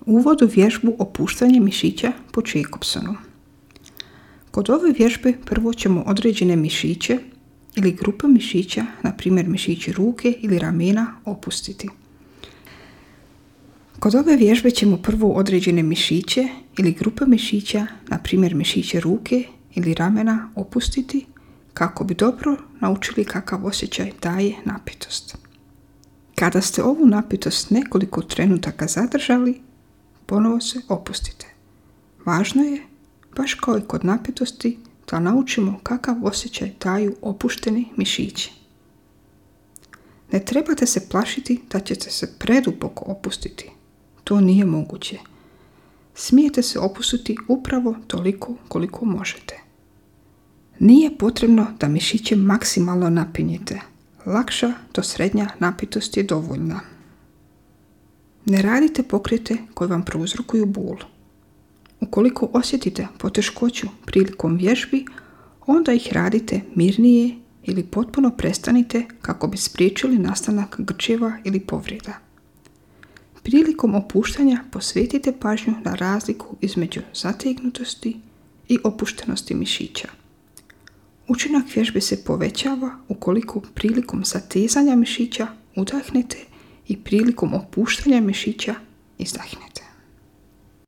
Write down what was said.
Uvod u vježbu opuštanje mišića po Jacobsonu. Kod ove vježbe prvo ćemo određene mišiće ili grupe mišića, na primjer mišići ruke ili ramena, opustiti. Kod ove vježbe ćemo prvo određene mišiće ili grupe mišića, na primjer mišiće ruke ili ramena, opustiti kako bi dobro naučili kakav osjećaj daje napetost. Kada ste ovu napetost nekoliko trenutaka zadržali, ponovo se opustite. Važno je, baš kao i kod napetosti, da naučimo kakav osjećaj daju opušteni mišići. Ne trebate se plašiti da ćete se preduboko opustiti. To nije moguće. Smijete se opustiti upravo toliko koliko možete. Nije potrebno da mišiće maksimalno napinjete. Lakša do srednja napetost je dovoljna. Ne radite pokrete koji vam prouzrokuju bol. Ukoliko osjetite poteškoću prilikom vježbi, onda ih radite mirnije ili potpuno prestanite kako bi spriječili nastanak grčeva ili povreda. Prilikom opuštanja posvetite pažnju na razliku između zategnutosti i opuštenosti mišića. Učinak vježbe se povećava ukoliko prilikom zatezanja mišića udahnete i prilikom opuštanja mišića izdahnete.